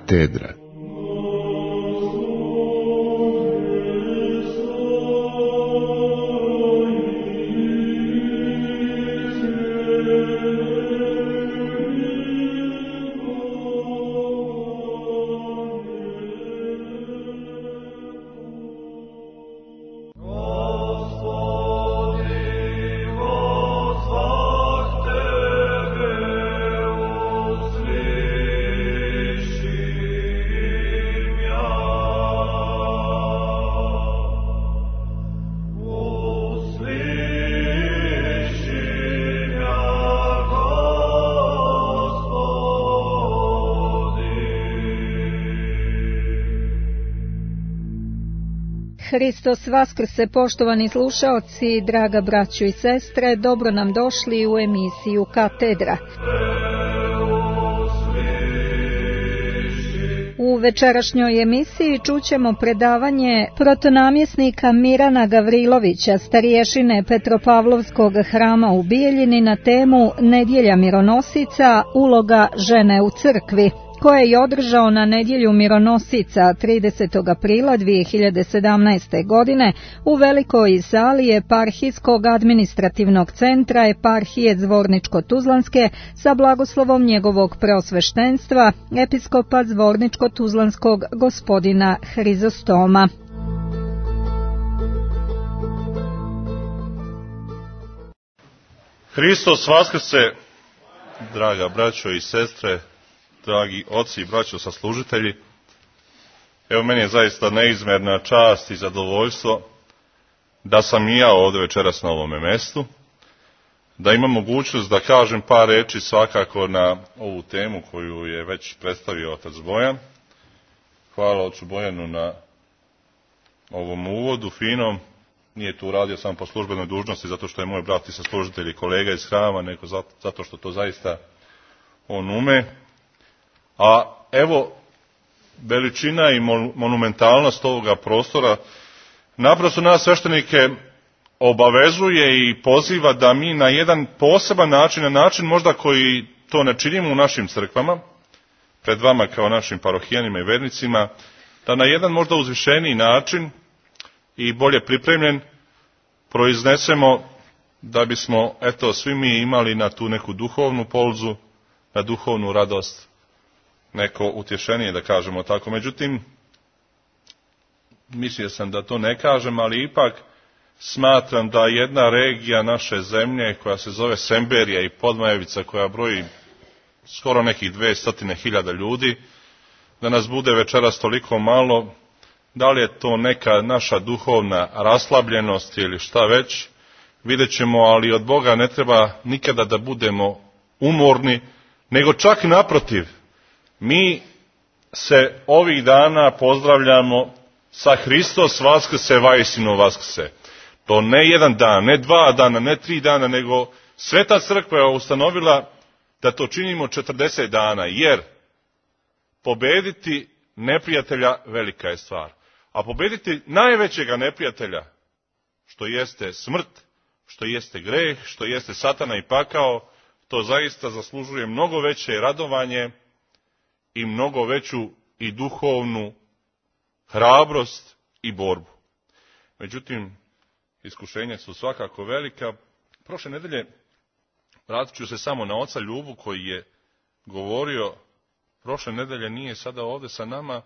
Katedra. Hristos vaskrse, poštovani slušaoci, draga braćo i sestre, dobro nam došli u emisiju Katedra. U večerašnjoj emisiji čućemo predavanje protonamjesnika Mirana Gavrilovića, starješine Petropavlovskog hrama u Bijeljini na temu Nedjelja mironosica, uloga žene u crkvi, koje je održao na Nedjelju mironosica 30. aprila 2017. godine u velikoj sali Eparhijskog administrativnog centra Eparhije Zvorničko-Tuzlanske sa blagoslovom njegovog preosveštenstva, episkopa Zvorničko-Tuzlanskog gospodina Hrizostoma. Hristos vaskrse, draga braćo i sestre, dragi oci i braćo saslužitelji. Evo, meni je zaista neizmjerna čast i zadovoljstvo da sam i ja ovdje večeras na ovome mjestu, da imam mogućnost da kažem par riječi svakako na ovu temu koju je već predstavio otac Bojan. Hvala ocu Bojanu na ovom uvodu finom. Nije tu radio samo po službenoj dužnosti zato što je moj brat i saslužitelj i kolega iz hrama, nego zato što to zaista on ume. A evo, veličina i monumentalnost ovoga prostora naprosto nas sveštenike obavezuje i poziva da mi na jedan poseban način, na način možda koji to ne činimo u našim crkvama, pred vama kao našim parohijanima i vernicima, da na jedan možda uzvišeniji način i bolje pripremljen proiznesemo da bismo, eto, svi mi imali na tu neku duhovnu polzu, na duhovnu radost, neko utješenije, da kažemo tako. Međutim, mislio sam da to ne kažem, ali ipak smatram da jedna regija naše zemlje, koja se zove Semberija i Podmajevica, koja broji skoro nekih 200.000 ljudi, da nas bude večeras toliko malo, da li je to neka naša duhovna raslabljenost ili šta već, vidjet ćemo, ali od Boga ne treba nikada da budemo umorni, nego čak naprotiv. Mi se ovih dana pozdravljamo sa Hristos vaskrse, vajsino vaskrse. To ne jedan dan, ne 2 dana, ne 3 dana, nego Sveta crkva je ustanovila da to činimo 40 dana, jer pobediti neprijatelja velika je stvar. A pobediti najvećega neprijatelja, što jeste smrt, što jeste greh, što jeste satana i pakao, to zaista zaslužuje mnogo veće radovanje i mnogo veću i duhovnu hrabrost i borbu. Međutim, iskušenja su svakako velika. Prošle nedelje vratit ću se samo na oca Ljubu koji je govorio, prošle nedelje nije sada ovdje sa nama.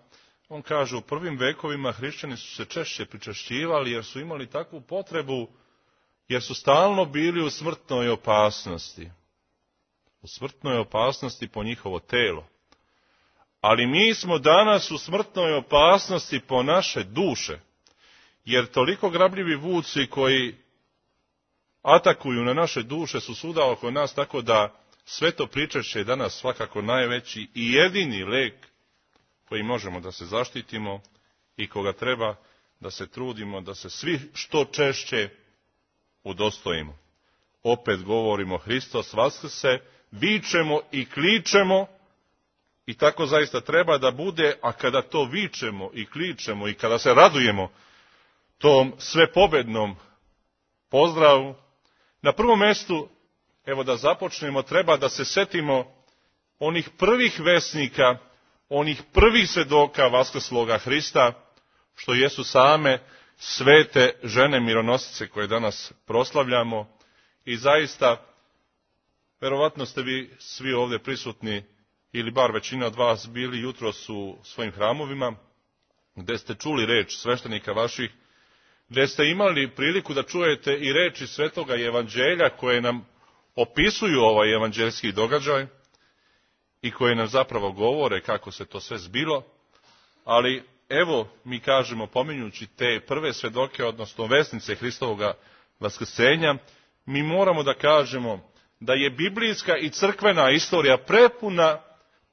On kaže, u prvim vekovima hrišćani su se češće pričešćivali jer su imali takvu potrebu, jer su stalno bili u smrtnoj opasnosti. U smrtnoj opasnosti po njihovo telo. Ali mi smo danas u smrtnoj opasnosti po naše duše, jer toliko grabljivi vuci koji atakuju na naše duše su svuda oko nas, tako da sveto pričešće je danas svakako najveći i jedini lek koji možemo da se zaštitimo i koga treba da se trudimo, da se svi što češće udostojimo. Opet govorimo Hristos vaskrse, vičemo i kličemo, i tako zaista treba da bude, a kada to vičemo i kličemo i kada se radujemo tom svepobednom pozdravu, na prvom mjestu, evo da započnemo, treba da se setimo onih prvih vesnika onih prvih svjedoka vaskrsloga Hrista, što jesu same svete žene mironosice koje danas proslavljamo. I zaista, verovatno ste vi svi ovdje prisutni, ili bar većina od vas bili jutros u svojim hramovima, gdje ste čuli reč sveštenika vaših, gdje ste imali priliku da čujete i reči svetoga evanđelja koje nam opisuju ovaj evanđeljski događaj i koje nam zapravo govore kako se to sve zbilo. Ali evo, mi kažemo, pominjući te prve svedoke, odnosno vesnice Hristovoga vaskrsenja, mi moramo da kažemo da je biblijska i crkvena istorija prepuna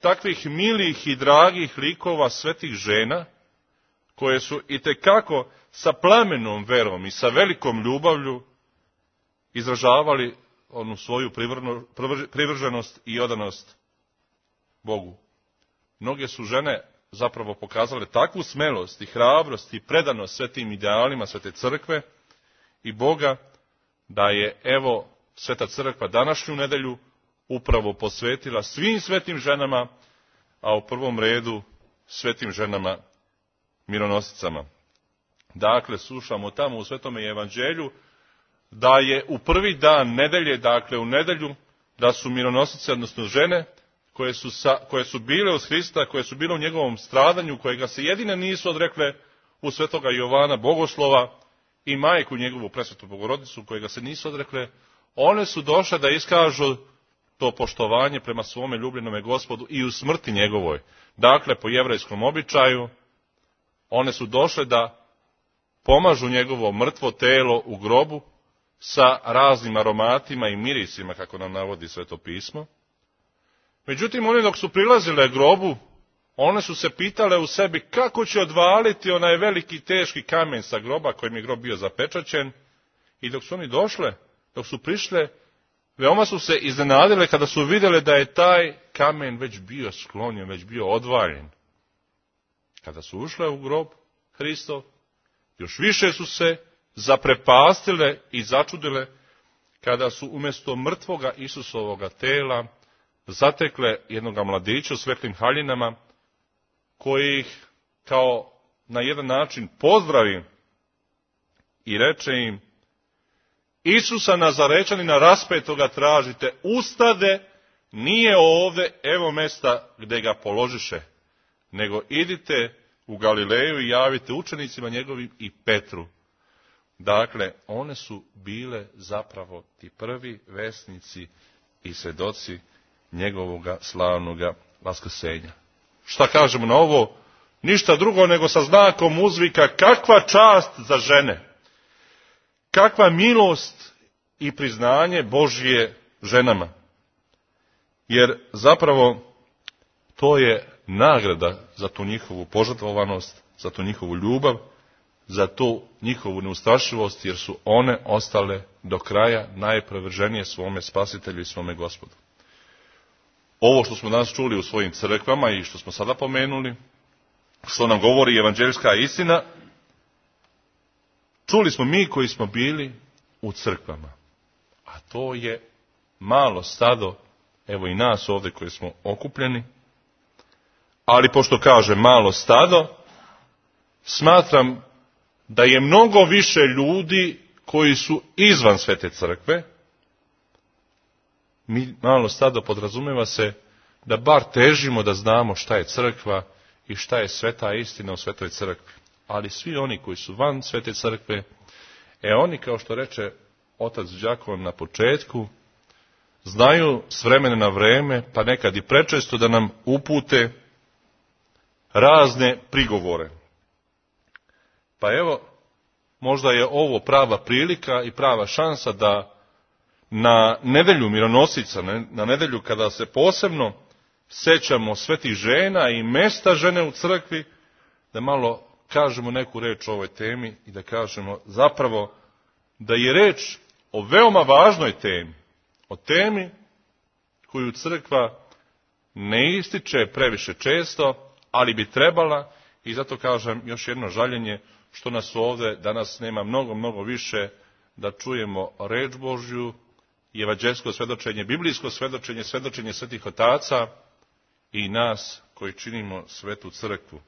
takvih milih i dragih likova svetih žena, koje su itekako sa plamenom verom i sa velikom ljubavlju izražavali onu svoju privrženost i odanost Bogu. Mnoge su žene zapravo pokazale takvu smelost i hrabrost i predanost svetim idealima svete crkve i Boga, da je, evo, sveta crkva današnju nedelju upravo posvetila svim svetim ženama, a u prvom redu svetim ženama mironosicama. Dakle, slušamo tamo u Svetome evanđelju da je u prvi dan nedelje, dakle u nedelju, da su mironosice, odnosno žene, koje su bile uz Hrista, koje su bile u njegovom stradanju, kojega se jedine nisu odrekle u svetoga Jovana Bogoslova i majku njegovu presvetu Bogorodicu, kojega se nisu odrekle, one su došle da iskažu to poštovanje prema svome ljubljenome Gospodu i u smrti njegovoj. Dakle, po jevrejskom običaju, one su došle da pomažu njegovo mrtvo telo u grobu sa raznim aromatima i mirisima, kako nam navodi Sveto pismo. Međutim, one dok su prilazile grobu, one su se pitale u sebi kako će odvaliti onaj veliki teški kamen sa groba kojim je grob bio zapečaćen. I dok su oni došle, dok su prišle, veoma su se iznenadile kada su vidjele da je taj kamen već bio sklonjen, već bio odvaljen. Kada su ušle u grob Hristov, još više su se zaprepastile i začudile kada su umjesto mrtvoga Isusovoga tela zatekle jednoga mladića u svetlim haljinama, koji ih kao na jedan način pozdravi i reče im: Isusa Nazarečanina raspetoga tražite, ustade, nije ovdje, evo mesta gdje ga položiše, nego idite u Galileju i javite učenicima njegovim i Petru. Dakle, one su bile zapravo ti prvi vesnici i svedoci njegovoga slavnoga vaskrsenja. Šta kažemo na ovo? Ništa drugo nego sa znakom uzvika: kakva čast za žene, kakva milost i priznanje Božje ženama. Jer zapravo to je nagrada za tu njihovu požrtvovanost, za tu njihovu ljubav, za tu njihovu neustrašivost, jer su one ostale do kraja najprevrženije svome Spasitelju i svome Gospodu. Ovo što smo danas čuli u svojim crkvama i što smo sada pomenuli, što nam govori evanđeljska istina, čuli smo mi koji smo bili u crkvama. A to je malo stado, evo i nas ovdje koji smo okupljeni. Ali pošto kaže malo stado, smatram da je mnogo više ljudi koji su izvan svete crkve. Malo stado podrazumijeva se da bar težimo da znamo šta je crkva i šta je sveta istina u svetoj crkvi. Ali svi oni koji su van svete crkve, oni, kao što reče otac Đakon na početku, znaju s vremena na vreme, pa nekad i prečesto, da nam upute razne prigovore. Pa evo, možda je ovo prava prilika i prava šansa da na nedelju mironosica, na nedelju kada se posebno sećamo svetih žena i mesta žene u crkvi, da malo kažemo neku reč o ovoj temi i da kažemo zapravo da je reč o veoma važnoj temi, o temi koju crkva ne ističe previše često, ali bi trebala, i zato kažem još jedno žaljenje što nas ovdje danas nema mnogo više da čujemo reč Božju i evanđeljsko svjedočenje, biblijsko svjedočenje, svjedočenje svetih otaca i nas koji činimo svetu crkvu.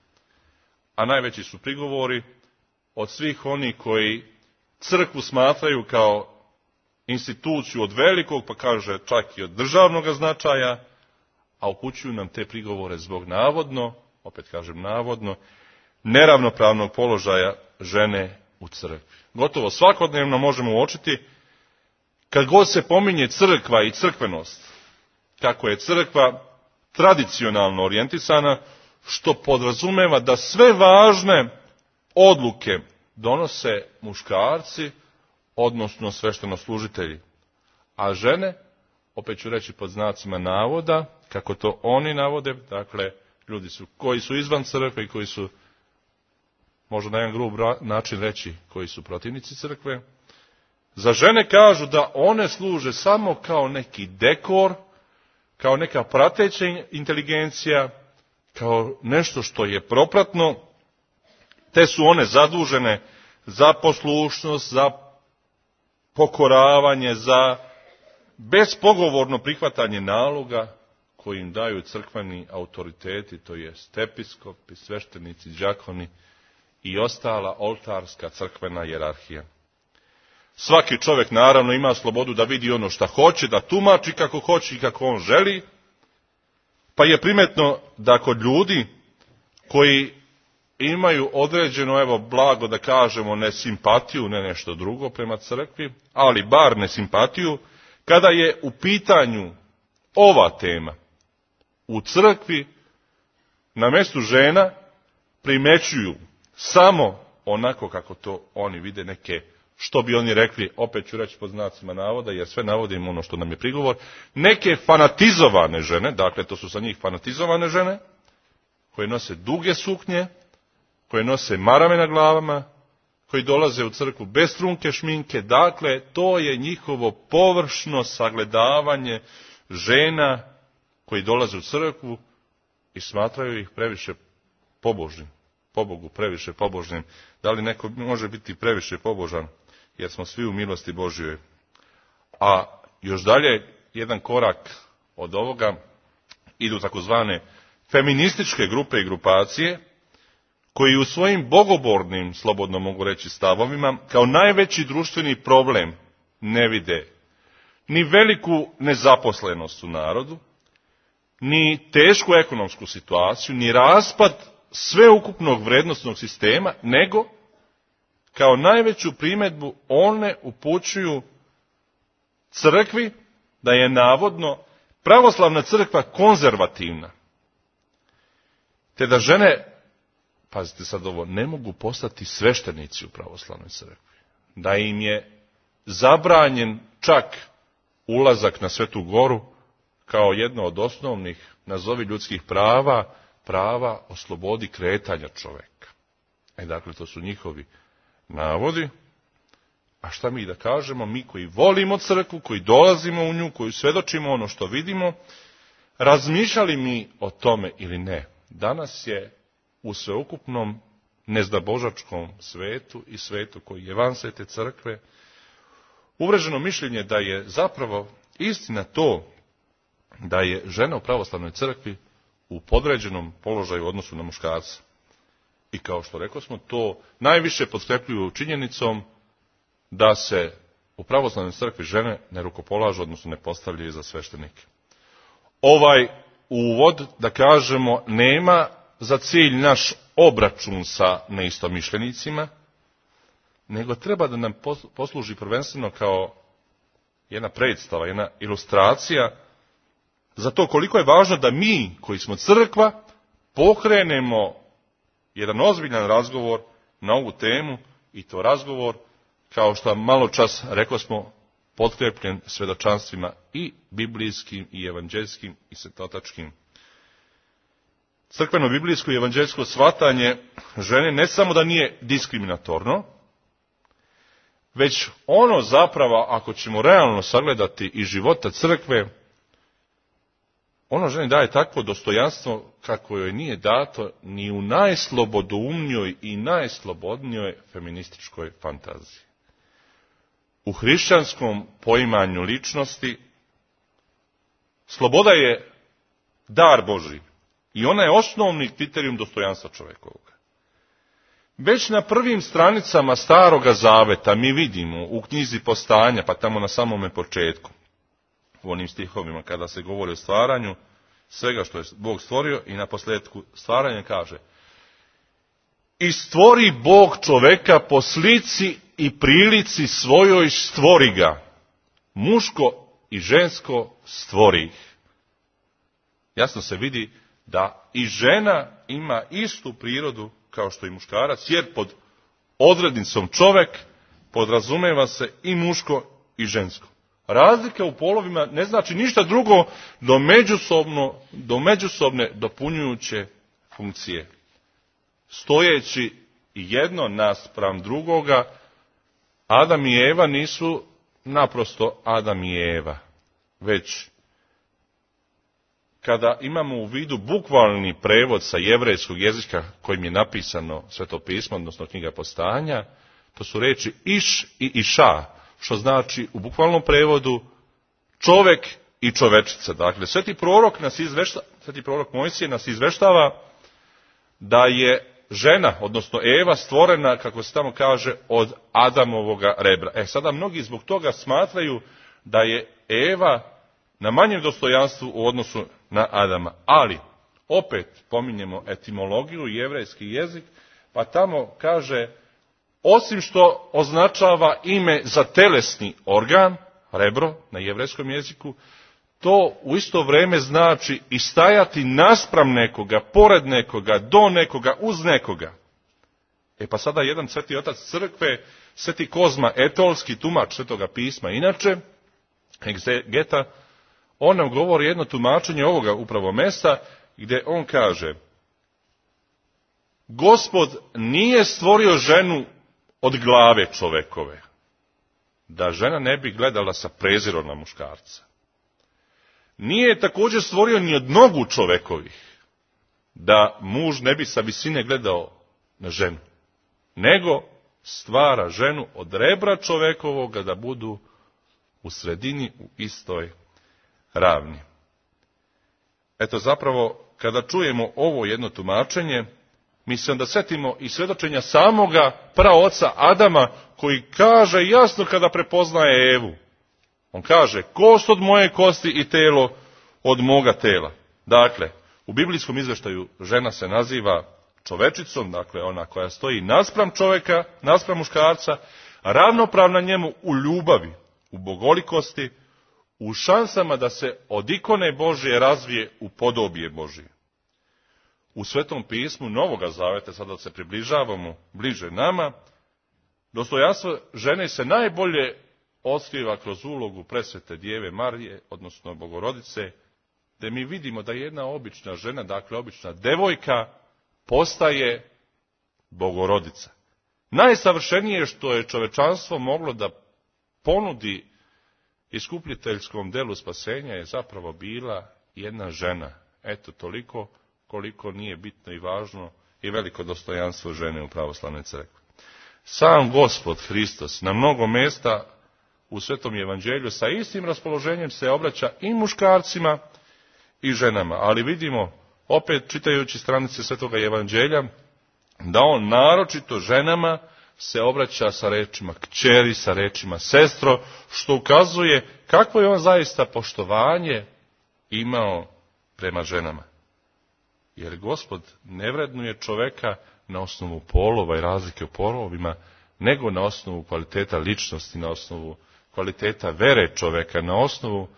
A najveći su prigovori od svih onih koji crkvu smatraju kao instituciju od velikog, pa kaže čak i od državnog značaja, a upućuju nam te prigovore zbog navodno, opet kažem navodno, neravnopravnog položaja žene u crkvi. Gotovo svakodnevno možemo uočiti, kad god se pominje crkva i crkvenost, kako je crkva tradicionalno orijentisana, što podrazumeva da sve važne odluke donose muškarci, odnosno sveštenoslужitelji. A žene, opet ću reći pod znacima navoda, kako to oni navode, dakle, ljudi koji su izvan crkve i koji su, možda na jedan grub način reći, koji su protivnici crkve, za žene kažu da one služe samo kao neki dekor, kao neka prateća inteligencija, kao nešto što je propratno, te su one zadužene za poslušnost, za pokoravanje, za bespogovorno prihvatanje naloga koji im daju crkveni autoriteti, to jest episkopi, sveštenici, đakoni i ostala oltarska crkvena hijerarhija. Svaki čovjek naravno ima slobodu da vidi ono što hoće, da tumači kako hoće i kako on želi, pa je primetno da kod ljudi koji imaju određeno, evo, blago da kažemo, nesimpatiju, ne nešto drugo prema crkvi, ali bar nesimpatiju, kada je u pitanju ova tema, u crkvi na mjestu žena primećuju samo onako kako to oni vide, neke, što bi oni rekli, opet ću reći pod znacima navoda, jer sve navodimo ono što nam je prigovor, neke fanatizovane žene, dakle to su sa njih fanatizovane žene, koje nose duge suknje, koje nose marame na glavama, koji dolaze u crkvu bez trunke šminke, dakle to je njihovo površno sagledavanje žena koji dolaze u crkvu i smatraju ih previše pobožnim, pobogu previše pobožnim. Da li neko može biti previše pobožan, jer smo svi u milosti Božjoj. A još dalje, jedan korak od ovoga, idu takozvane feminističke grupe i grupacije, koji u svojim bogobornim, slobodno mogu reći, stavovima, kao najveći društveni problem ne vide ni veliku nezaposlenost u narodu, ni tešku ekonomsku situaciju, ni raspad sveukupnog vrednosnog sistema, nego kao najveću primjedbu one upućuju crkvi da je navodno pravoslavna crkva konzervativna, te da žene, pazite sad ovo, ne mogu postati sveštenici u pravoslavnoj crkvi, da im je zabranjen čak ulazak na Svetu Goru kao jedno od osnovnih, nazovi ljudskih prava, prava o slobodi kretanja čovjeka. Dakle, to su njihovi navodi. A šta mi da kažemo, mi koji volimo crkvu, koji dolazimo u nju, koji svjedočimo ono što vidimo, razmišljali mi o tome ili ne, danas je u sveukupnom nezdabožačkom svetu i svetu koji je van svete crkve uvreženo mišljenje da je zapravo istina to da je žena u pravoslavnoj crkvi u podređenom položaju u odnosu na muškarca. I kao što rekao smo, to najviše potkrepljuju činjenicom da se u pravoslavnoj crkvi žene ne rukopolažu, odnosno ne postavljaju za sveštenike. Ovaj uvod, da kažemo, nema za cilj naš obračun sa neistomišljenicima, nego treba da nam posluži prvenstveno kao jedna predstava, jedna ilustracija za to koliko je važno da mi, koji smo crkva, pokrenemo jedan ozbiljan razgovor na ovu temu, i to razgovor, kao što malo čas rekli smo, potkrepljen svjedočanstvima i biblijskim, i evanđeljskim, i svetotačkim. Crkveno biblijsko i evanđeljsko shvatanje žene ne samo da nije diskriminatorno, već ono zapravo, ako ćemo realno sagledati i života crkve, ono ženi daje takvo dostojanstvo kako joj nije dato ni u najslobodoumnijoj i najslobodnijoj feminističkoj fantaziji. U hrišćanskom poimanju ličnosti sloboda je dar Božji, I ona je osnovni kriterijum dostojanstva čovjekovog. Već na prvim stranicama Staroga Zaveta mi vidimo u knjizi Postanja, pa tamo na samome početku, u onim stihovima kada se govori o stvaranju, svega što je Bog stvorio i na posljedku stvaranja kaže: i stvori Bog čoveka po slici i prilici svojoj stvori ga, muško i žensko stvori ih. Jasno se vidi da i žena ima istu prirodu kao što i muškarac, jer pod odrednicom čovek podrazumeva se i muško i žensko. Razlika u polovima ne znači ništa drugo do međusobne dopunjujuće funkcije. Stojeći jedno naspram drugoga, Adam i Eva nisu naprosto Adam i Eva, već kada imamo u vidu bukvalni prevod sa jevrejskog jezika kojim je napisano Sveto pismo, odnosno knjiga Postanja, to su riječi iš i iša, što znači u bukvalnom prevodu čovek i čovečica. Dakle, sveti prorok Mojsije nas izveštava da je žena, odnosno Eva, stvorena, kako se tamo kaže, od Adamovoga rebra. Sada mnogi zbog toga smatraju da je Eva na manjem dostojanstvu u odnosu na Adama. Ali, opet pominjemo etimologiju, jevrejski jezik, pa tamo kaže, osim što označava ime za telesni organ, rebro na jevrejskom jeziku, to u isto vrijeme znači i stajati naspram nekoga, pored nekoga, do nekoga, uz nekoga. Pa sada jedan sveti otac crkve, sveti Kozma Etolski, tumač Svetoga pisma, inače, egzegeta, on nam govori jedno tumačenje ovoga upravo mesta, gdje on kaže: Gospod nije stvorio ženu od glave čovekove, da žena ne bi gledala sa prezirom na muškarca. Nije je također stvorio ni od nogu čovekovih, da muž ne bi sa visine gledao na ženu, nego stvara ženu od rebra čovekovoga da budu u sredini, u istoj ravni. Zapravo, kada čujemo ovo jedno tumačenje, mi se onda setimo i svjedočenja samoga praoca Adama, koji kaže jasno kada prepoznaje Evu. On kaže: kost od moje kosti i telo od moga tela. Dakle, u biblijskom izvještaju žena se naziva čovečicom, dakle ona koja stoji naspram čovjeka, naspram muškarca, ravnopravna njemu u ljubavi, u bogolikosti, u šansama da se od ikone Božje razvije u podobije Božje. U Svetom pismu Novoga Zaveta, sada se približavamo bliže nama, dostojanstvo žene se najbolje otkriva kroz ulogu presvete Djeve Marije, odnosno Bogorodice, gdje mi vidimo da jedna obična žena, dakle obična devojka, postaje Bogorodica. Najsavršenije što je čovečanstvo moglo da ponudi iskupljiteljskom delu spasenja je zapravo bila jedna žena. Toliko koliko nije bitno i važno i veliko dostojanstvo žene u pravoslavnoj crkvi. Sam Gospod Hristos na mnogo mjesta u Svetom evanđelju sa istim raspoloženjem se obraća i muškarcima i ženama. Ali vidimo, opet čitajući stranice Svetoga evanđelja, da on naročito ženama se obraća sa rečima kćeri, sa rečima sestro, što ukazuje kakvo je on zaista poštovanje imao prema ženama. Jer Gospod ne vrednuje čoveka na osnovu polova i razlike u polovima, nego na osnovu kvaliteta ličnosti, na osnovu kvaliteta vere čoveka, na osnovu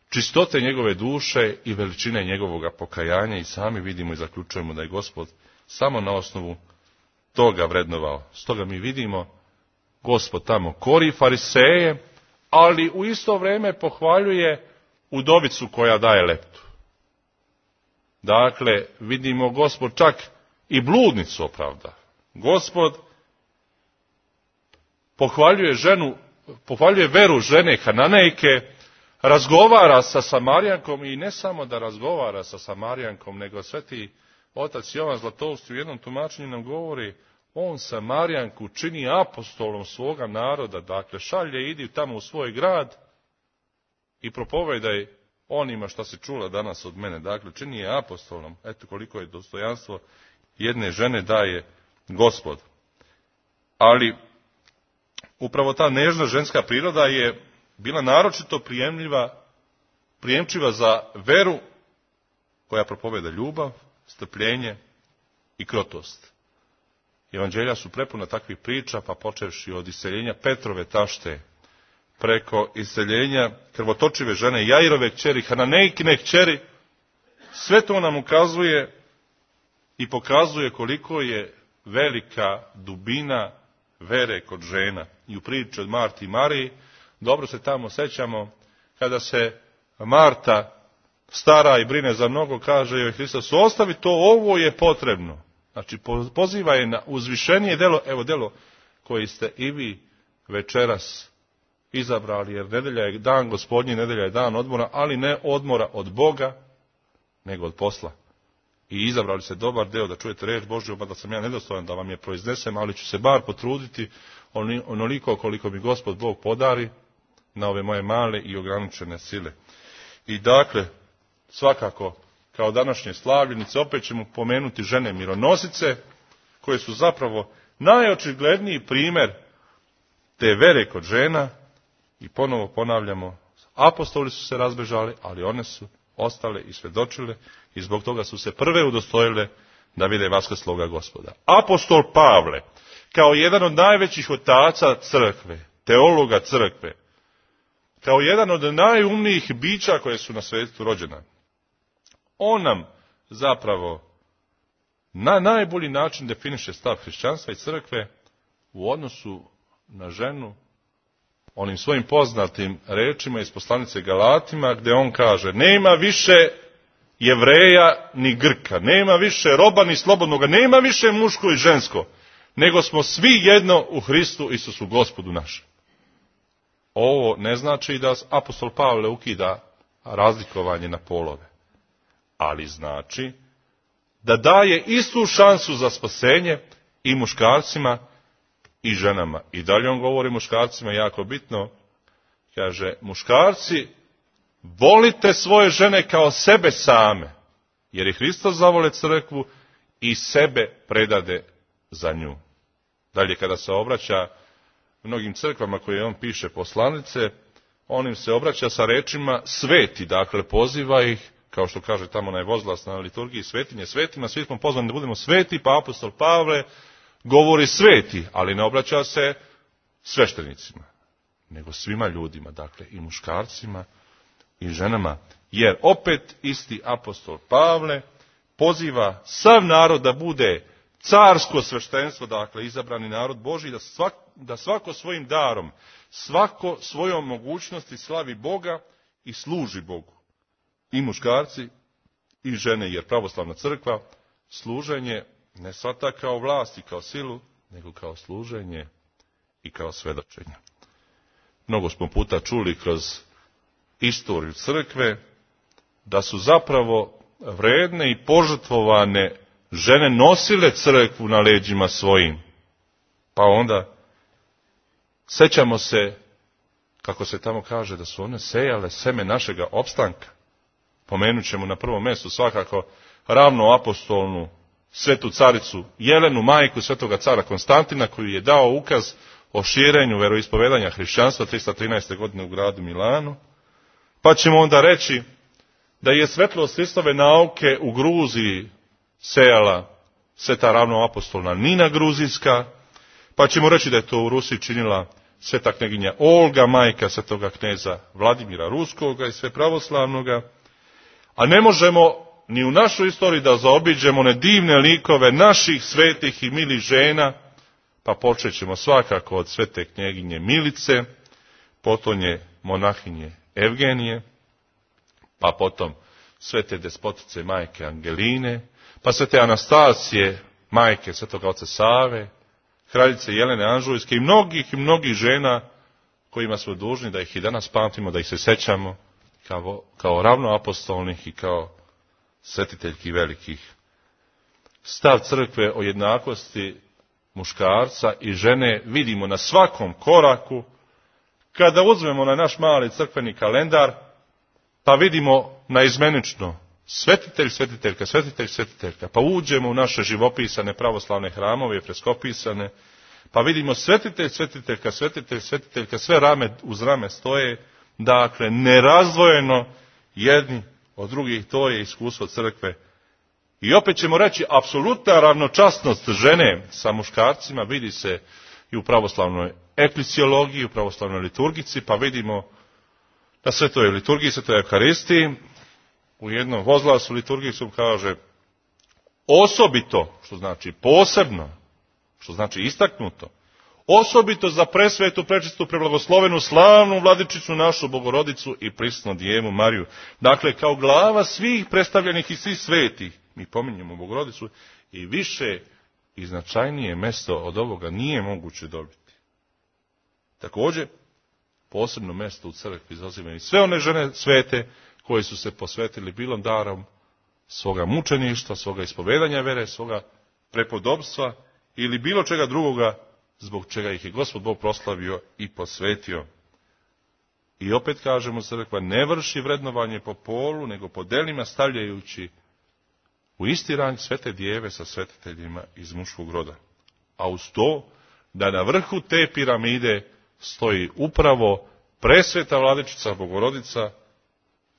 čistote njegove duše i veličine njegovoga pokajanja, i sami vidimo i zaključujemo da je Gospod samo na osnovu toga vrednovao. Stoga mi vidimo, Gospod tamo kori fariseje, ali u isto vrijeme pohvaljuje udovicu koja daje leptu. Dakle, vidimo, Gospod čak i bludnicu opravda. Gospod pohvaljuje veru žene Hananejke, razgovara sa Samarijankom, i ne samo da razgovara sa Samarijankom, nego sveti otac Jovan Zlatovski u jednom tumačenju nam govori, on Samarijanku čini apostolom svoga naroda, dakle šalje, idi tamo u svoj grad i propovedaj onima što si čula danas od mene. Dakle, čini je apostolom. Eto koliko je dostojanstvo jedne žene daje Gospod. Ali upravo ta nežna ženska priroda je bila naročito prijemčiva za veru koja propoveda ljubav, strpljenje i krotost. Evanđelja su prepuna takvih priča, pa počevši od iseljenja Petrove tašte, preko iseljenja krvotočive žene Jairove kćeri, Hananejkine kćeri, sve to nam ukazuje i pokazuje koliko je velika dubina vere kod žena. I u priči od Marti i Mariji, dobro se tamo sećamo, kada se Marta stara i brine za mnogo, kaže joj Hristos, ostavi to, ovo je potrebno. Znači, poziva je na uzvišenije delo, evo delo koji ste i vi večeras izabrali, jer nedelja je dan Gospodnji, nedelja je dan odmora, ali ne odmora od Boga, nego od posla. I izabrali ste dobar deo da čujete reč Božju, pa da sam ja nedostojan da vam je proiznesem, ali ću se bar potruditi onoliko koliko mi Gospod Bog podari na ove moje male i ograničene sile. I dakle, svakako, kao današnje slavljenice, opet ćemo pomenuti žene mironosice, koje su zapravo najočigledniji primjer te vere kod žena. I ponovo ponavljamo, apostoli su se razbežali, ali one su ostale i svjedočile i zbog toga su se prve udostojile da vide vaskrsloga Gospoda. Apostol Pavle, kao jedan od najvećih otaca crkve, teologa crkve, kao jedan od najumnijih bića koje su na svijetu rođena, on nam zapravo na najbolji način definiše stav hrišćanstva i crkve u odnosu na ženu, onim svojim poznatim rečima iz poslanice Galatima, gdje on kaže, nema više Jevreja ni Grka, nema više roba ni slobodnoga, nema više muško i žensko, nego smo svi jedno u Hristu Isusu Gospodu našem. Ovo ne znači da apostol Pavle ukida razlikovanje na polove, ali znači da daje istu šansu za spasenje i muškarcima i ženama. I dalje on govori muškarcima, jako bitno, kaže, muškarci, volite svoje žene kao sebe same, jer je Hristos zavole crkvu i sebe predade za nju. Dalje, kada se obraća mnogim crkvama koje on piše poslanice, on im se obraća sa rečima sveti, dakle poziva ih, kao što kaže tamo najvozglas na liturgiji, svetinje svetima, svi smo pozvani da budemo sveti, pa apostol Pavle govori sveti, ali ne obraća se sveštenicima, nego svima ljudima, dakle i muškarcima i ženama, jer opet isti apostol Pavle poziva sav narod da bude carsko sveštenstvo, dakle izabrani narod Božji, da svako svojim darom, svako svojom mogućnosti slavi Boga i služi Bogu. I muškarci i žene, jer pravoslavna crkva služenje ne shvata kao vlast i kao silu, nego kao služenje i kao svedočenje. Mnogo smo puta čuli kroz istoriju crkve da su zapravo vredne i požrtvovane žene nosile crkvu na leđima svojim. Pa onda sećamo se, kako se tamo kaže, da su one sejale seme našega opstanka. Pomenut ćemo na prvom mjestu svakako ravno apostolnu svetu caricu Jelenu, majku svetoga cara Konstantina, koju je dao ukaz o širenju veroispovedanja hrišćanstva 313. godine u gradu Milanu. Pa ćemo onda reći da je svetlost Hristove nauke u Gruziji sejala sveta ravnoapostolna Nina Gruzijska, pa ćemo reći da je to u Rusiji činila sveta kneginja Olga, majka svetoga kneza Vladimira Ruskoga i sve pravoslavnoga. A ne možemo ni u našoj istoriji da zaobiđemo one divne likove naših svetih i milih žena, pa počet ćemo svakako od svete knjeginje Milice, potonje monahinje Evgenije, pa potom svete despotice majke Angeline, pa svete Anastasije, majke svetoga oca Save, kraljice Jelene Anžujske i mnogih žena kojima smo dužni da ih i danas pamtimo, da ih se sećamo kao ravnoapostolnih i kao svetiteljki velikih. Stav crkve o jednakosti muškarca i žene vidimo na svakom koraku. Kada uzmemo na naš mali crkveni kalendar, pa vidimo naizmenično svetitelj, svetiteljka, svetitelj, svetiteljka, pa uđemo u naše živopisane pravoslavne hramove, freskopisane, pa vidimo svetitelj, svetiteljka, svetitelj, svetiteljka, sve rame uz rame stoje, dakle, nerazdvojeno jedni od drugih, to je iskustvo crkve. I opet ćemo reći, apsolutna ravnočasnost žene sa muškarcima vidi se i u pravoslavnoj eklesiologiji, u pravoslavnoj liturgici, pa vidimo na svetoj liturgiji, svetoj Euharistiji, u jednom vozglasu liturgijskom kaže osobito, što znači posebno, što znači istaknuto, osobito za presvetu, prečistu, preblagoslovenu, slavnu vladičicu našu Bogorodicu i prisnu Djevu Mariju. Dakle, kao glava svih predstavljenih i svih svetih, mi pominjemo Bogorodicu, i više i značajnije mesto od ovoga nije moguće dobiti. Također, posebno mesto u crkvi zauzimaju sve one žene svete koje su se posvetili bilom darom svoga mučeništva, svoga ispovedanja vere, svoga prepodobstva ili bilo čega drugoga zbog čega ih je Gospod Bog proslavio i posvetio. I opet kažemo, crkva ne vrši vrednovanje po polu, nego po delima stavljajući u isti rang svete djeve sa svetiteljima iz muškog roda. A uz to da na vrhu te piramide stoji upravo presveta vladičica Bogorodica,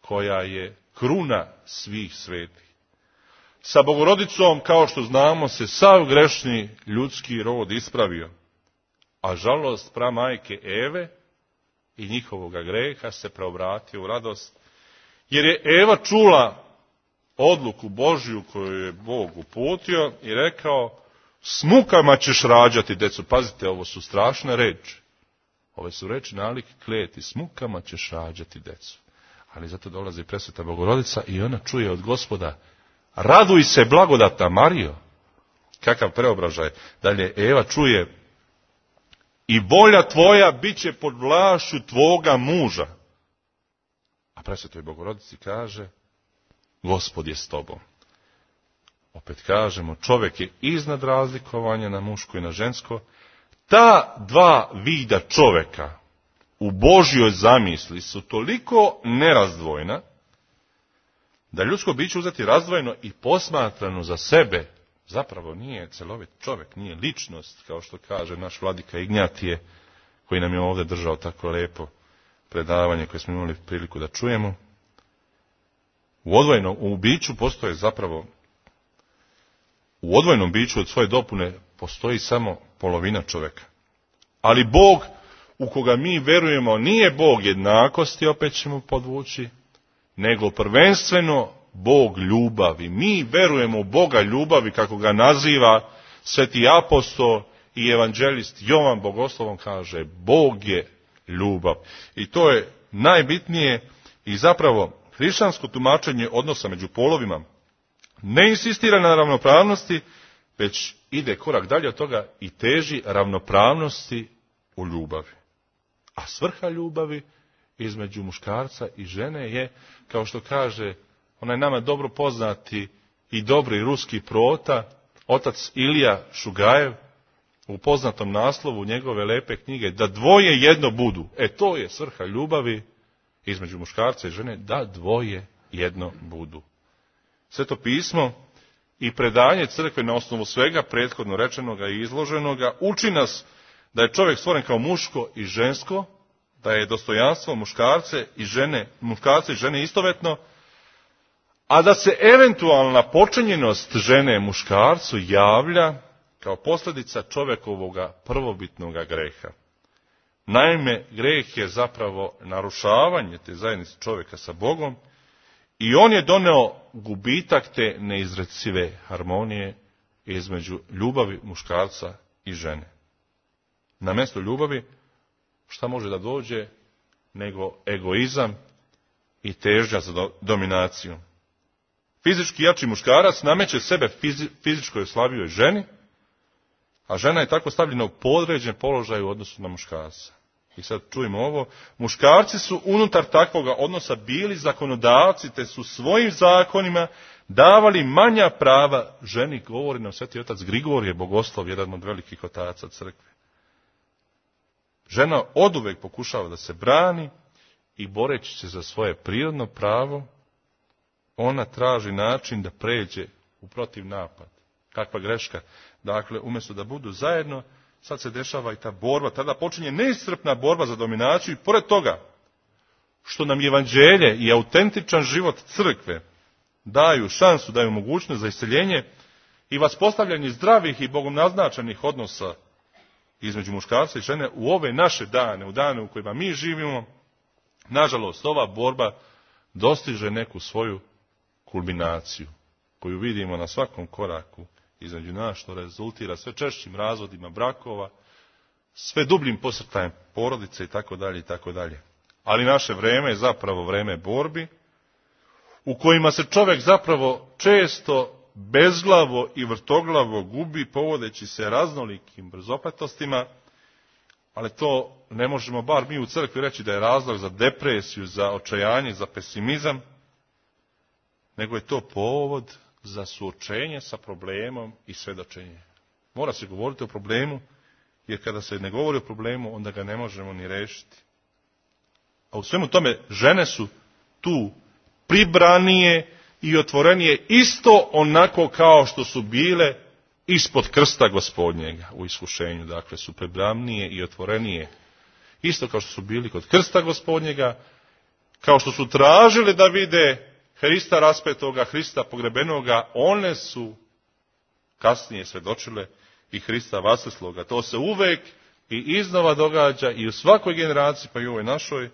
koja je kruna svih svetih. Sa Bogorodicom, kao što znamo, se sav grešni ljudski rod ispravio, a žalost pramajke Eve i njihovoga greha se preobratio u radost, jer je Eva čula odluku Božju koju je Bog uputio i rekao, s mukama ćeš rađati djecu. Pazite, ovo su strašne reči. Ove su reči nalik kleti, s mukama ćeš rađati djecu. Ali zato dolazi presveta Bogorodica i ona čuje od Gospoda, raduj se blagodatna Marijo. Kakav preobražaj. Dalje Eva čuje, i volja tvoja bit će pod vlašću tvoga muža. A presvetoj Bogorodici kaže, Gospod je s tobom. Opet kažemo, čovjek je iznad razlikovanja na muško i na žensko. Ta dva vida čovjeka u Božjoj zamisli su toliko nerazdvojna, da ljudsko biće uzeti razdvojeno i posmatrano za sebe zapravo nije celovit čovjek, nije ličnost, kao što kaže naš vladika Ignjatije, koji nam je ovdje držao tako lepo predavanje koje smo imali priliku da čujemo. U biću postoje zapravo, u odvojenom biću od svoje dopune postoji samo polovina čovjeka. Ali Bog u koga mi verujemo nije Bog jednakosti, opet ćemo podvući, nego prvenstveno Bog ljubavi. Mi verujemo u Boga ljubavi, kako ga naziva sveti apostol i evanđelist Jovan Bogoslovom, kaže, Bog je ljubav. I to je najbitnije i zapravo hrišćansko tumačenje odnosa među polovima ne insistira na ravnopravnosti, već ide korak dalje od toga i teži ravnopravnosti u ljubavi. A svrha ljubavi između muškarca i žene je, kao što kaže onaj nama dobro poznati i dobri ruski prota, otac Ilija Šugajev, u poznatom naslovu njegove lepe knjige, da dvoje jedno budu. To je svrha ljubavi između muškarca i žene, da dvoje jedno budu. Sveto pismo i predanje crkve na osnovu svega prethodno rečenoga i izloženoga uči nas da je čovjek stvoren kao muško i žensko, da je dostojanstvo muškarca i žene istovetno, a da se eventualna počinjenost žene muškarcu javlja kao posljedica čovjekovoga prvobitnoga greha. Naime, greh je zapravo narušavanje te zajednice čovjeka sa Bogom i on je doneo gubitak te neizrecive harmonije između ljubavi muškarca i žene. Na mjesto ljubavi šta može da dođe nego egoizam i težnja za dominaciju. Fizički jači muškarac nameće sebe fizičkoj slabijoj ženi, a žena je tako stavljena u podređen položaj u odnosu na muškarca. I sad čujemo ovo, muškarci su unutar takvoga odnosa bili zakonodavci, te su svojim zakonima davali manja prava ženi, govori nam sveti otac Grigorije Bogoslov, jedan od velikih otaca crkve. Žena oduvek pokušava da se brani i boreći se za svoje prirodno pravo, ona traži način da pređe u protiv napad. Kakva greška. Dakle, umjesto da budu zajedno, sad se dešava i ta borba. Tada počinje neiscrpna borba za dominaciju i pored toga što nam evanđelje i autentičan život crkve daju šansu, daju mogućnost za isceljenje i vaspostavljanje zdravih i Bogom naznačenih odnosa između muškarca i žene u ove naše dane, u dane u kojima mi živimo, nažalost, ova borba dostiže neku svoju kulminaciju, koju vidimo na svakom koraku između nas, što rezultira sve češćim razvodima brakova, sve dubljim posrtajem porodice itd. itd. Ali naše vreme je zapravo vreme borbi, u kojima se čovjek zapravo često bezglavo i vrtoglavo gubi, povodeći se raznolikim brzopletostima, ali to ne možemo bar mi u crkvi reći da je razlog za depresiju, za očajanje, za pesimizam, nego je to povod za suočenje sa problemom i svedočenje. Mora se govoriti o problemu, jer kada se ne govori o problemu, onda ga ne možemo ni rešiti. A u svemu tome žene su tu pribranije i otvorenije, isto onako kao što su bile ispod krsta Gospodnjega u iskušenju. Dakle, su pribranije i otvorenije, isto kao što su bili kod krsta Gospodnjega, kao što su tražili da vide Hrista raspetoga, Hrista pogrebenoga, one su kasnije svedočile i Hrista vaskrslog. To se uvek i iznova događa i u svakoj generaciji, pa i u ovoj našoj.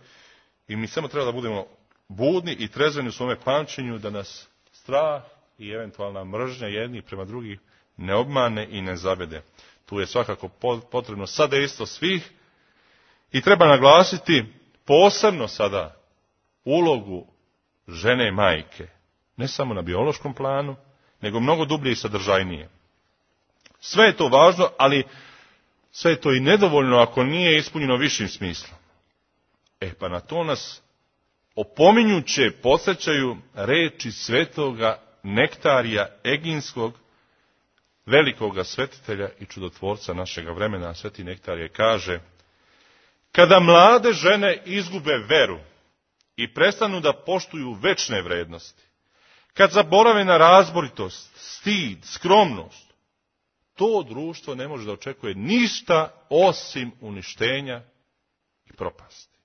I mi samo treba da budemo budni i trezveni u svome pamćenju, da nas strah i eventualna mržnja jednih prema drugih ne obmane i ne zavede. Tu je svakako potrebno sadejstvo svih i treba naglasiti posebno sada ulogu žene majke. Ne samo na biološkom planu, nego mnogo dublje i sadržajnije. Sve je to važno, ali sve je to i nedovoljno ako nije ispunjeno višim smislom. Pa na to nas opominjuće podsjećaju reči svetoga Nektarija Eginskog, velikoga svetitelja i čudotvorca našega vremena. Sveti Nektarije kaže: kada mlade žene izgube veru i prestanu da poštuju večne vrednosti, kad zaborave na razboritost, stid, skromnost, to društvo ne može da očekuje ništa osim uništenja i propasti.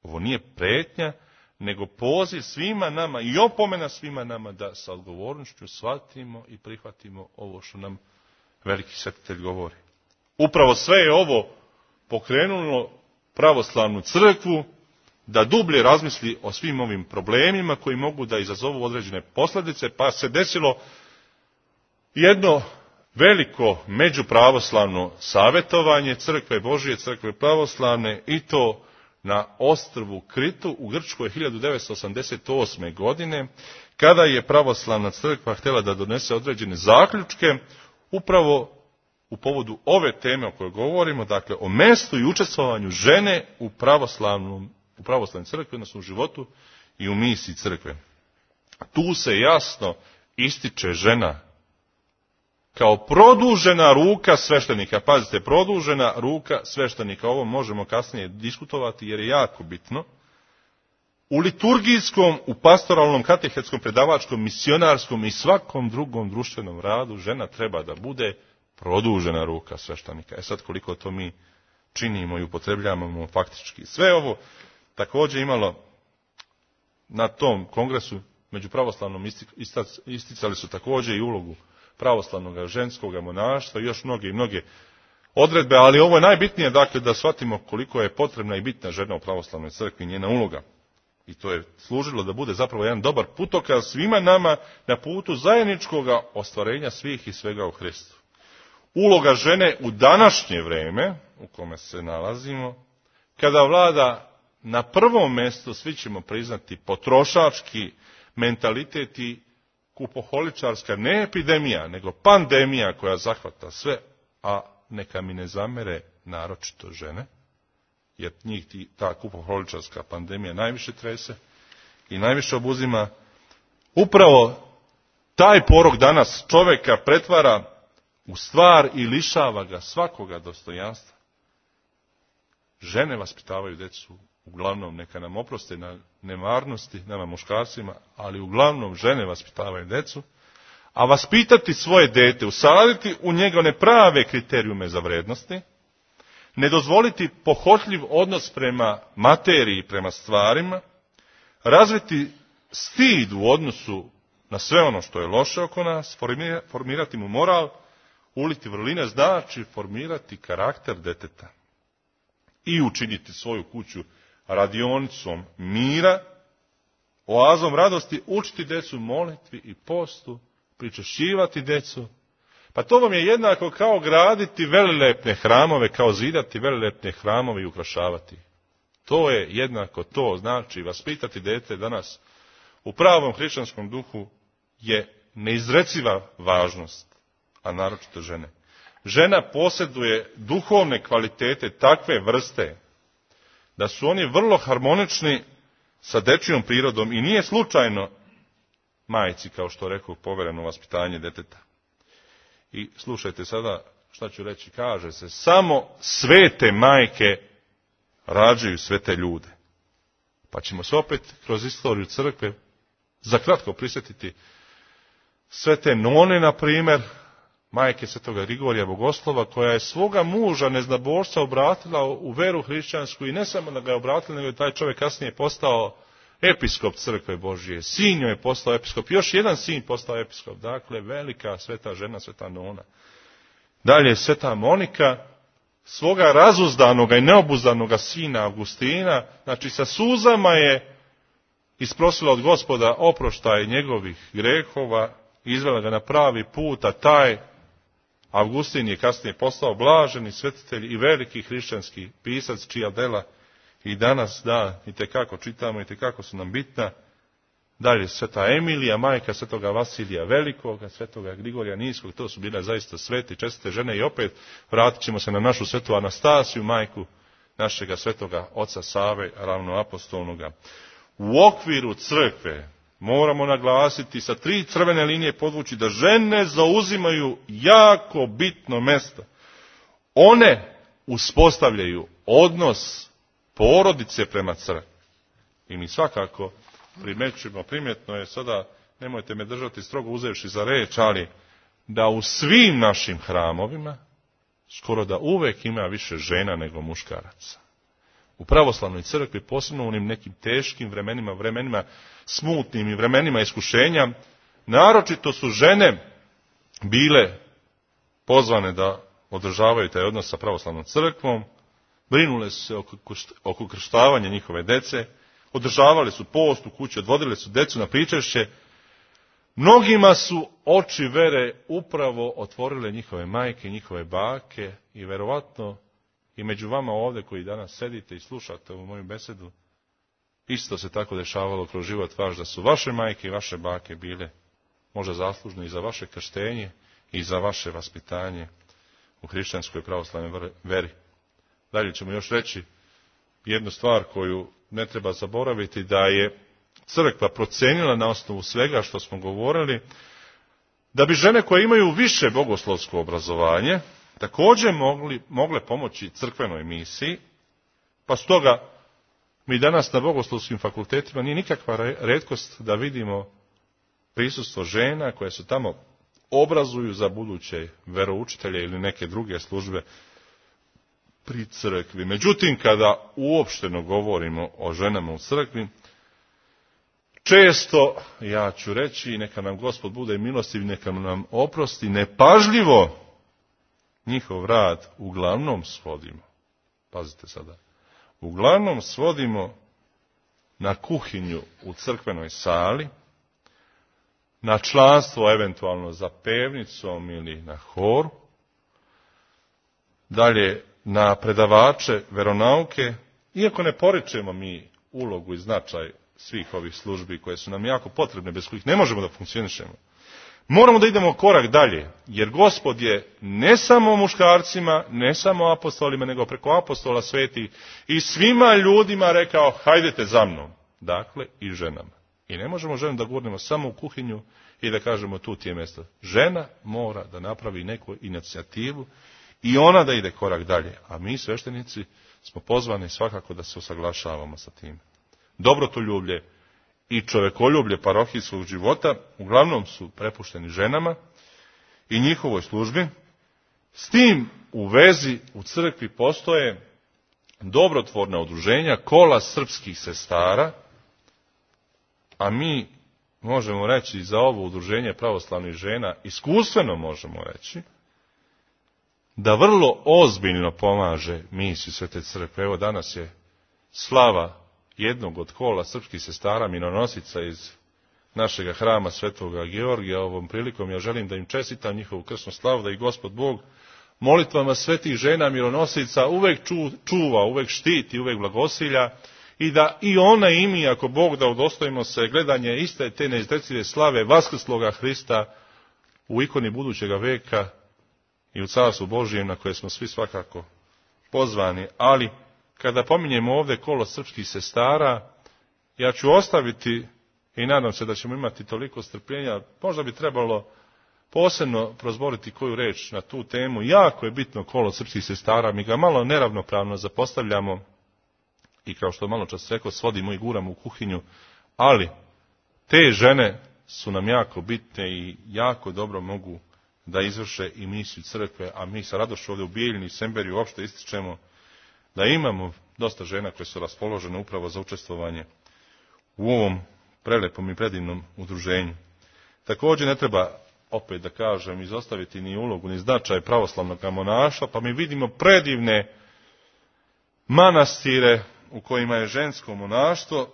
Ovo nije pretnja, nego poziv svima nama i opomena svima nama da sa odgovornošću shvatimo i prihvatimo ovo što nam veliki svetitelj govori. Upravo sve je ovo pokrenulo pravoslavnu crkvu da dublje razmisli o svim ovim problemima koji mogu da izazovu određene posljedice, pa se desilo jedno veliko međupravoslavno savjetovanje Crkve Božije, Crkve pravoslavne, i to na ostrvu Kritu u Grčkoj 1988. godine, kada je pravoslavna crkva htjela da donese određene zaključke upravo u povodu ove teme o kojoj govorimo, dakle o mestu i učestvovanju žene u pravoslavnoj crkvi, odnosno u životu i u misiji crkve. Tu se jasno ističe žena kao produžena ruka sveštenika. Pazite, produžena ruka sveštenika. Ovo možemo kasnije diskutovati jer je jako bitno. U liturgijskom, u pastoralnom, katehetskom, predavačkom, misionarskom i svakom drugom društvenom radu žena treba da bude produžena ruka sveštenika. Sad koliko to mi činimo i upotrebljavamo faktički. Sve ovo također imalo na tom kongresu među pravoslavnom isticali su također i ulogu pravoslavnog ženskog monaštva i još mnoge odredbe, ali ovo je najbitnije, dakle, da shvatimo koliko je potrebna i bitna žena u pravoslavnoj crkvi i njena uloga. I to je služilo da bude zapravo jedan dobar putokaz svima nama na putu zajedničkog ostvarenja svih i svega u Hristu. Uloga žene u današnje vreme u kome se nalazimo, kada vlada na prvom mjestu, svi ćemo priznati, potrošački mentalitet i kupoholičarska, ne epidemija, nego pandemija koja zahvata sve, a neka mi ne zamere naročito žene, jer njih ta kupoholičarska pandemija najviše trese i najviše obuzima. Upravo taj porok danas čovjeka pretvara u stvar i lišava ga svakoga dostojanstva. Žene vaspitavaju djecu uglavnom neka nam oproste na nemarnosti, nama muškarcima, ali uglavnom žene vaspitavaju djecu, a vaspitati svoje dete, usaditi u njegove prave kriterijume za vrednosti, ne dozvoliti pohotljiv odnos prema materiji, prema stvarima, razviti stid u odnosu na sve ono što je loše oko nas, formirati mu moral, uliti vrline, znači formirati karakter djeteta i učiniti svoju kuću radionicom mira, oazom radosti, učiti djecu molitvi i postu, pričešćivati djecu. Pa to vam je jednako kao graditi velilepne hramove, kao zidati velilepne hramove i ukrašavati. To je jednako to, znači vaspitati dijete danas u pravom hrišćanskom duhu je neizreciva važnost, a naročito žene. Žena posjeduje duhovne kvalitete takve vrste da su oni vrlo harmonični sa dečijom prirodom i nije slučajno majci, kao što rekao, povereno vaspitanje djeteta. I slušajte sada šta ću reći, kaže se, samo svete majke rađaju svete ljude. Pa ćemo se opet kroz istoriju crkve za kratko prisjetiti svete none, na primjer, majke svetoga Grigorija Bogoslova, koja je svoga muža neznabošca obratila u veru hrišćansku i ne samo da ga je obratila, nego je taj čovjek kasnije postao episkop crkve Božije. Sin joj je postao episkop, još jedan sin postao episkop. Dakle, velika sveta žena, sveta nona. Dalje, sveta Monika, svoga razuzdanoga i neobuzdanoga sina Augustina, znači sa suzama je isprosila od Gospoda oproštaj njegovih grehova, izvela ga na pravi put, a taj Augustin je kasnije postao blaženi svetitelj i veliki hrišćanski pisac, čija dela i danas itekako čitamo, itekako su nam bitna. Dalje, sveta Emilija, majka svetoga Vasilija Velikoga, svetoga Grigorija Niskog, to su bile zaista svete i čestite žene. I opet vratit ćemo se na našu svetu Anastasiju, majku našega svetoga oca Save, ravnoapostolnoga. U okviru crkve moramo naglasiti, sa 3 crvene linije podvući, da žene zauzimaju jako bitno mjesto. One uspostavljaju odnos porodice prema crkvi. I mi svakako primećujemo, primjetno je sada, nemojte me držati strogo uzevši za reč, ali da u svim našim hramovima skoro da uvek ima više žena nego muškaraca. U pravoslavnoj crkvi, posebno u onim nekim teškim vremenima smutnim i vremenima iskušenja, naročito su žene bile pozvane da održavaju taj odnos sa pravoslavnom crkvom, brinule su se oko krštavanja njihove dece, održavali su post u kući, odvodile su decu na pričešće. Mnogima su oči vere upravo otvorile njihove majke, njihove bake i verovatno i među vama ovdje koji danas sedite i slušate ovu moju besedu, isto se tako dešavalo kroz život vaš, da su vaše majke i vaše bake bile možda zaslužne i za vaše krštenje i za vaše vaspitanje u hrišćanskoj pravoslavnoj veri. Dalje ćemo još reći jednu stvar koju ne treba zaboraviti, da je crkva procenila na osnovu svega što smo govorili, da bi žene koje imaju više bogoslovsko obrazovanje također mogle pomoći crkvenoj misiji, pa stoga mi danas na bogoslovskim fakultetima nije nikakva retkost da vidimo prisustvo žena koje se tamo obrazuju za buduće veroučitelje ili neke druge službe pri crkvi. Međutim, kada uopšteno govorimo o ženama u crkvi, često, ja ću reći, neka nam Gospod bude milostiv, neka nam oprosti, nepažljivo njihov rad uglavnom svodimo. Pazite sada. Uglavnom svodimo na kuhinju u crkvenoj sali, na članstvo eventualno za pevnicom ili na horu, dalje na predavače veronauke, iako ne poričemo mi ulogu i značaj svih ovih službi koje su nam jako potrebne, bez kojih ne možemo da funkcionišemo. Moramo da idemo korak dalje, jer Gospod je ne samo muškarcima, ne samo apostolima, nego preko apostola sveti i svima ljudima rekao, hajdete za mnom. Dakle, i ženama. I ne možemo ženu da gurnemo samo u kuhinju i da kažemo tu ti je mjesto. Žena mora da napravi neku inicijativu i ona da ide korak dalje. A mi, sveštenici, smo pozvani svakako da se usaglašavamo sa tim. Dobrotoljublje i čovekoljublje parohijskog života uglavnom su prepušteni ženama i njihovoj službi. S tim u vezi u crkvi postoje dobrotvorna udruženja, kola srpskih sestara, a mi možemo reći za ovo udruženje pravoslavnih žena, iskustveno možemo reći, da vrlo ozbiljno pomaže misiju Svete crkve. Evo danas je slava jednog od kola srpskih sestara, minonosica iz našega hrama Svetoga Georgija. Ovom prilikom ja želim da im čestitam njihovu krsnu slavu, da ih Gospod Bog molitvama svetih žena mironosica uvek čuva, uvek štiti, uvek blagosilja i da i ona i mi, ako Bog da, udostojimo se gledanje iste te neizrecive slave vaskrsloga Hrista u ikoni budućega veka i u Carstvu Božijem na koje smo svi svakako pozvani. Ali kada pominjemo ovdje kolo srpskih sestara, ja ću ostaviti i nadam se da ćemo imati toliko strpljenja, možda bi trebalo posebno prozboriti koju reč na tu temu. Jako je bitno kolo srpskih sestara, mi ga malo neravnopravno zapostavljamo i kao što malo čas rekao, svodimo i guramo u kuhinju, ali te žene su nam jako bitne i jako dobro mogu da izvrše i misiju crkve, a mi sa radošću ovdje u Bijeljini i Semberiju uopšte ističemo da imamo dosta žena koje su raspoložene upravo za učestvovanje u ovom prelepom i predivnom udruženju. Također ne treba, opet da kažem, izostaviti ni ulogu ni značaj pravoslavnog monaštva, pa mi vidimo predivne manastire u kojima je žensko monaštvo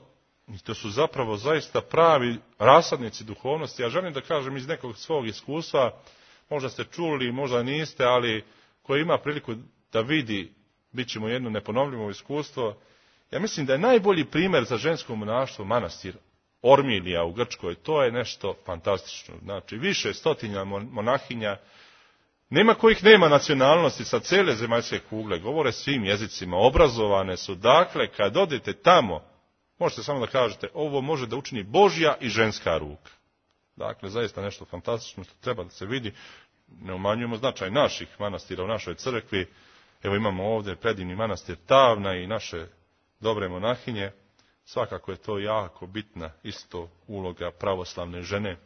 i to su zapravo zaista pravi rasadnici duhovnosti. Ja želim da kažem iz nekog svog iskustva, možda ste čuli, možda niste, ali ko ima priliku da vidi, bit će mu jedno neponovljivo iskustvo. Ja mislim da je najbolji primjer za žensko monaštvo manastir Ormilija u Grčkoj. To je nešto fantastično. Znači, više stotinja monahinja, nema kojih nema nacionalnosti sa cijele zemaljske kugle, govore svim jezicima, obrazovane su. Dakle, kad odete tamo, možete samo da kažete, ovo može da učini Božja i ženska ruka. Dakle, zaista nešto fantastično što treba da se vidi. Ne umanjujemo značaj naših manastira u našoj crkvi. Evo imamo ovdje predivni manastir Tavna i naše dobre monahinje. Svakako je to jako bitna isto uloga pravoslavne žene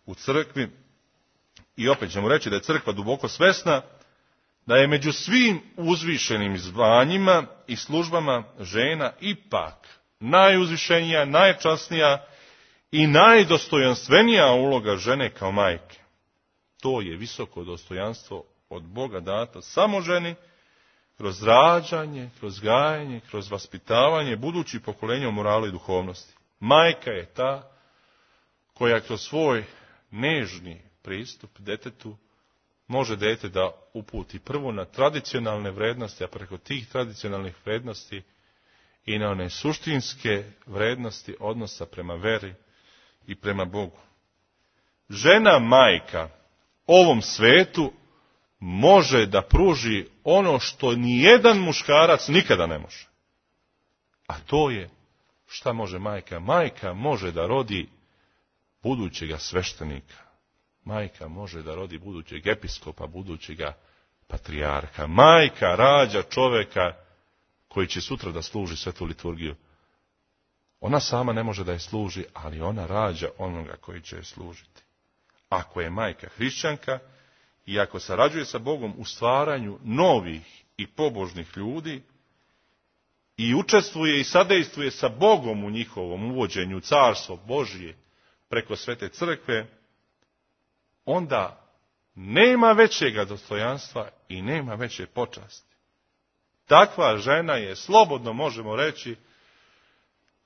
u crkvi. I opet ćemo reći da je crkva duboko svesna da je među svim uzvišenim zvanjima i službama žena ipak najuzvišenija, najčasnija i najdostojanstvenija uloga žene kao majke. To je visoko dostojanstvo od Boga dato samo ženi, kroz rađanje, kroz gajanje, kroz vaspitavanje budućih pokolenja u moralu i duhovnosti. Majka je ta koja kroz svoj nežni pristup detetu može dete da uputi prvo na tradicionalne vrednosti, a preko tih tradicionalnih vrednosti i na one suštinske vrednosti odnosa prema veri i prema Bogu. Žena majka ovom svetu može da pruži ono što nijedan muškarac nikada ne može. A to je, šta može majka? Majka može da rodi budućega sveštenika. Majka može da rodi budućeg episkopa, budućega patrijarha. Majka rađa čoveka koji će sutra da služi svetu liturgiju. Ona sama ne može da je služi, ali ona rađa onoga koji će je služiti. Ako je majka hrišćanka i ako sarađuje sa Bogom u stvaranju novih i pobožnih ljudi i učestvuje i sadejstvuje sa Bogom u njihovom uvođenju u carstvo Božje preko Svete crkve, onda nema većega dostojanstva i nema veće počasti. Takva žena je, slobodno možemo reći,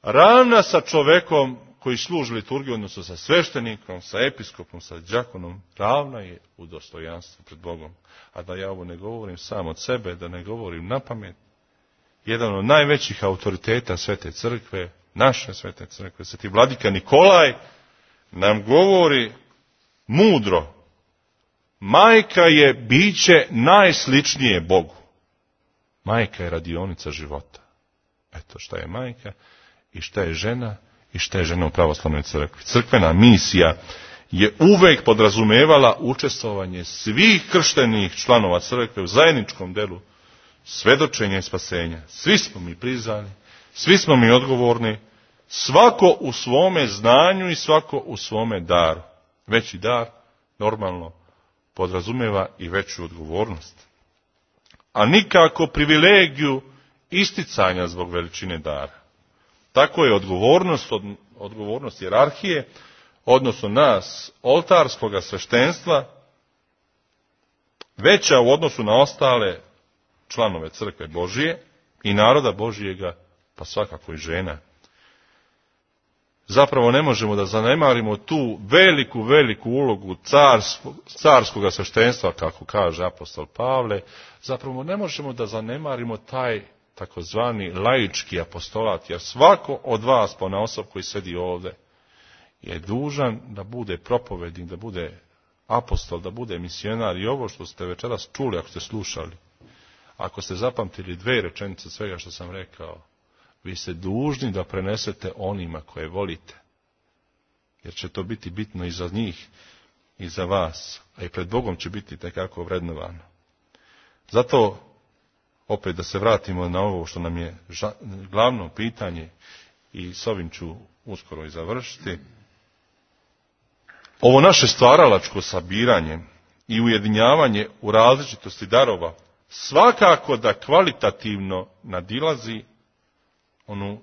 ravna sa čovekom koji služi liturgiju, odnosno sa sveštenikom, sa episkopom, sa đakonom, ravna je u dostojanstvu pred Bogom. A da ja ovo ne govorim sam od sebe, da ne govorim napamet, jedan od najvećih autoriteta Svete crkve, naše Svete crkve, sveti vladika Nikolaj, nam govori mudro: majka je biće najsličnije Bogu. Majka je radionica života. Eto šta je majka i šta je žena i šta je žena u pravoslavnoj crkvi. Crkvena misija je uvek podrazumevala učestvovanje svih krštenih članova crkve u zajedničkom delu svedočenja i spasenja. Svi smo mi prizvani, svi smo mi odgovorni, svako u svome znanju i svako u svome daru. Veći dar, normalno, podrazumijeva i veću odgovornost. A nikako privilegiju isticanja zbog veličine dara. Tako je odgovornost hijerarhije, odnosno nas, oltarskoga sveštenstva, veća u odnosu na ostale članove crkve Božije i naroda Božijega, pa svakako i žena. Zapravo ne možemo da zanemarimo tu veliku ulogu carskoga sveštenstva, kako kaže apostol Pavle. Zapravo ne možemo da zanemarimo taj takozvani laički apostolat, jer svako od vas ponaosob koji sedi ovdje je dužan da bude propovednik, da bude apostol, da bude misionar. I ovo što ste večeras čuli, ako ste slušali, ako ste zapamtili 2 rečenice svega što sam rekao, vi ste dužni da prenesete onima koje volite, jer će to biti bitno i za njih i za vas, a i pred Bogom će biti tekako vrednovano. Zato, opet da se vratimo na ovo što nam je glavno pitanje, i s ovim ću uskoro i završiti. Ovo naše stvaralačko sabiranje i ujedinjavanje u različitosti darova svakako da kvalitativno nadilazi onu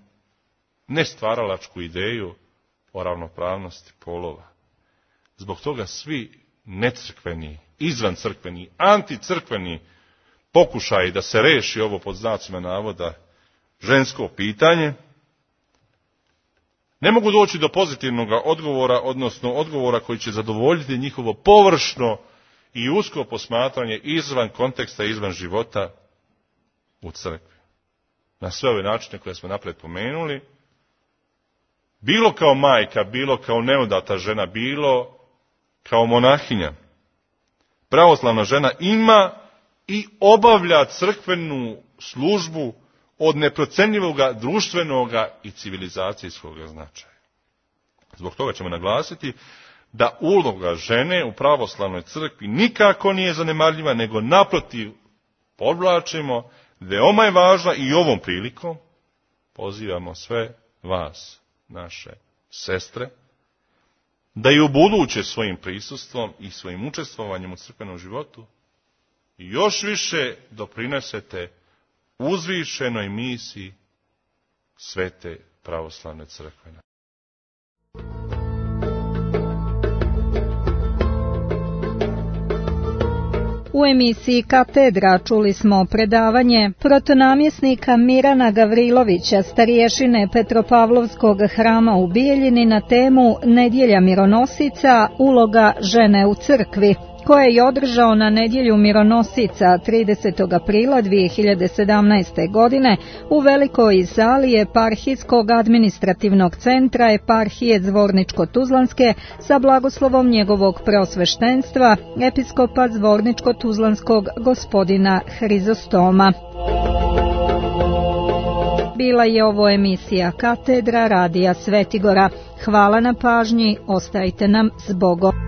nestvaralačku ideju o ravnopravnosti polova. Zbog toga svi necrkveni, izvancrkveni, anticrkveni pokušaji da se reši ovo pod znacima navoda žensko pitanje, ne mogu doći do pozitivnog odgovora, odnosno odgovora koji će zadovoljiti njihovo površno i usko posmatranje izvan konteksta, izvan života u crkvi. Na sve ove načine koje smo napred pomenuli, bilo kao majka, bilo kao neudata žena, bilo kao monahinja, pravoslavna žena ima i obavlja crkvenu službu od neprocenjivoga društvenoga i civilizacijskog značaja. Zbog toga ćemo naglasiti da uloga žene u pravoslavnoj crkvi nikako nije zanemarljiva, nego naprotiv podvlačimo, veoma je važna i ovom prilikom pozivamo sve vas, naše sestre, da i ubuduće svojim prisustvom i svojim učestvovanjem u crkvenom životu još više doprinesete uzvišenoj misiji Svete pravoslavne crkve. U emisiji Katedra čuli smo predavanje protonamjesnika Mirana Gavrilovića, starješine Petropavlovskog hrama u Bijeljini, na temu Nedjelja mironosica, uloga žene u crkvi, koje je održao na Nedjelju mironosica 30. aprila 2017. godine u velikoj sali Eparhijskog administrativnog centra Eparhije Zvorničko-Tuzlanske sa blagoslovom njegovog preosveštenstva, episkopa Zvorničko-Tuzlanskog gospodina Hrizostoma. Bila je ovo emisija Katedra radija Svetigora. Hvala na pažnji, ostajte nam s Bogom.